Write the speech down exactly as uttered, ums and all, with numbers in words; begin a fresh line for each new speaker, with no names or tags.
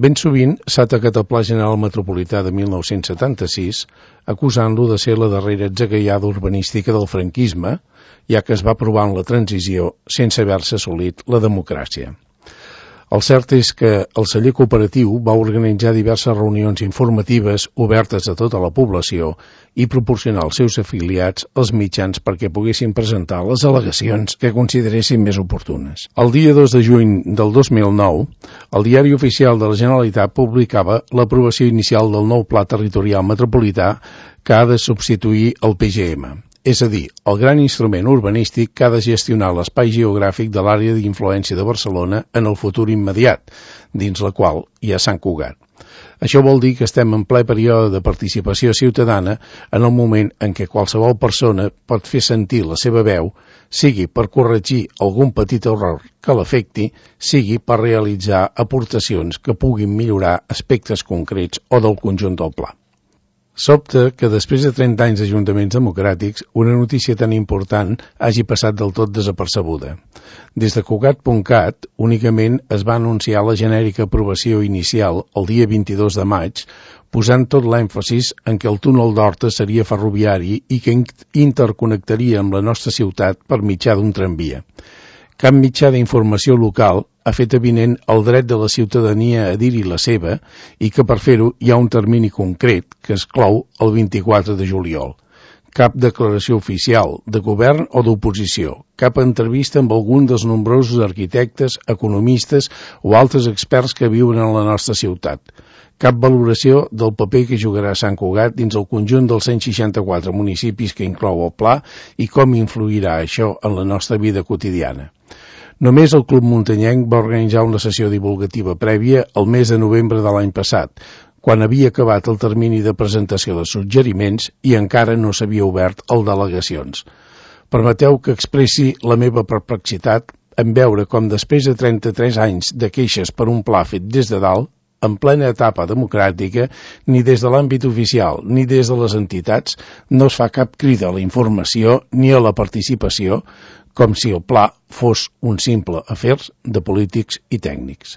Ben sovint s'ha atacat el Pla General Metropolità de mil nou-cents setanta-sis, acusant-lo de ser la darrera atzagaiada urbanística del franquisme, ja que es va aprovar en la transició sense haver-se assolit la democràcia. El cert és que el celler cooperatiu va organitzar diverses reunions informatives obertes a tota la població i proporcionar als seus afiliats els mitjans perquè poguessin presentar les al·legacions que consideressin més oportunes. El dia dos de juny del dos mil nou, el Diari Oficial de la Generalitat publicava l'aprovació inicial del nou Pla Territorial Metropolità que ha de substituir el P G M. És a dir, el gran instrument urbanístic que ha de gestionar l'espai geogràfic de l'àrea d'influència de Barcelona en el futur immediat, dins la qual hi ha Sant Cugat. Això vol dir que estem en ple període de participació ciutadana en el moment en què qualsevol persona pot fer sentir la seva veu, sigui per corregir algun petit error que l'afecti, sigui per realitzar aportacions que puguin millorar aspectes concrets o del conjunt del pla. Sobta que després de trenta anys d'ajuntaments democràtics, una notícia tan important hagi passat del tot desapercebuda. Des de Cugat punt cat, únicament es va anunciar la genèrica aprovació inicial el dia vint-i-dos de maig, posant tot l'èmfasis en què el túnel d'Horta seria ferroviari i que interconnectaria amb la nostra ciutat per mitjà d'un tramvia. Cap mitjà d'informació local ha fet evident el dret de la ciutadania a dir-hi la seva i que per fer-ho hi ha un termini concret que es clou el vint-i-quatre de juliol. Cap declaració oficial, de govern o d'oposició, cap entrevista amb algun dels nombrosos arquitectes, economistes o altres experts que viuen en la nostra ciutat. Cap valoració del paper que jugarà Sant Cugat dins el conjunt dels cent seixanta-quatre municipis que inclou el pla i com influirà això en la nostra vida quotidiana. Només el Club Muntanyenc va organitzar una sessió divulgativa prèvia el mes de novembre de l'any passat, quan havia acabat el termini de presentació de suggeriments i encara no s'havia obert el d'al·legacions. Permeteu que expressi la meva perplexitat en veure com després de trenta-tres anys de queixes per un pla fet des de dalt, en plena etapa democràtica, ni des de l'àmbit oficial ni des de les entitats no es fa cap crida a la informació ni a la participació, com si el pla fos un simple afer de polítics i tècnics.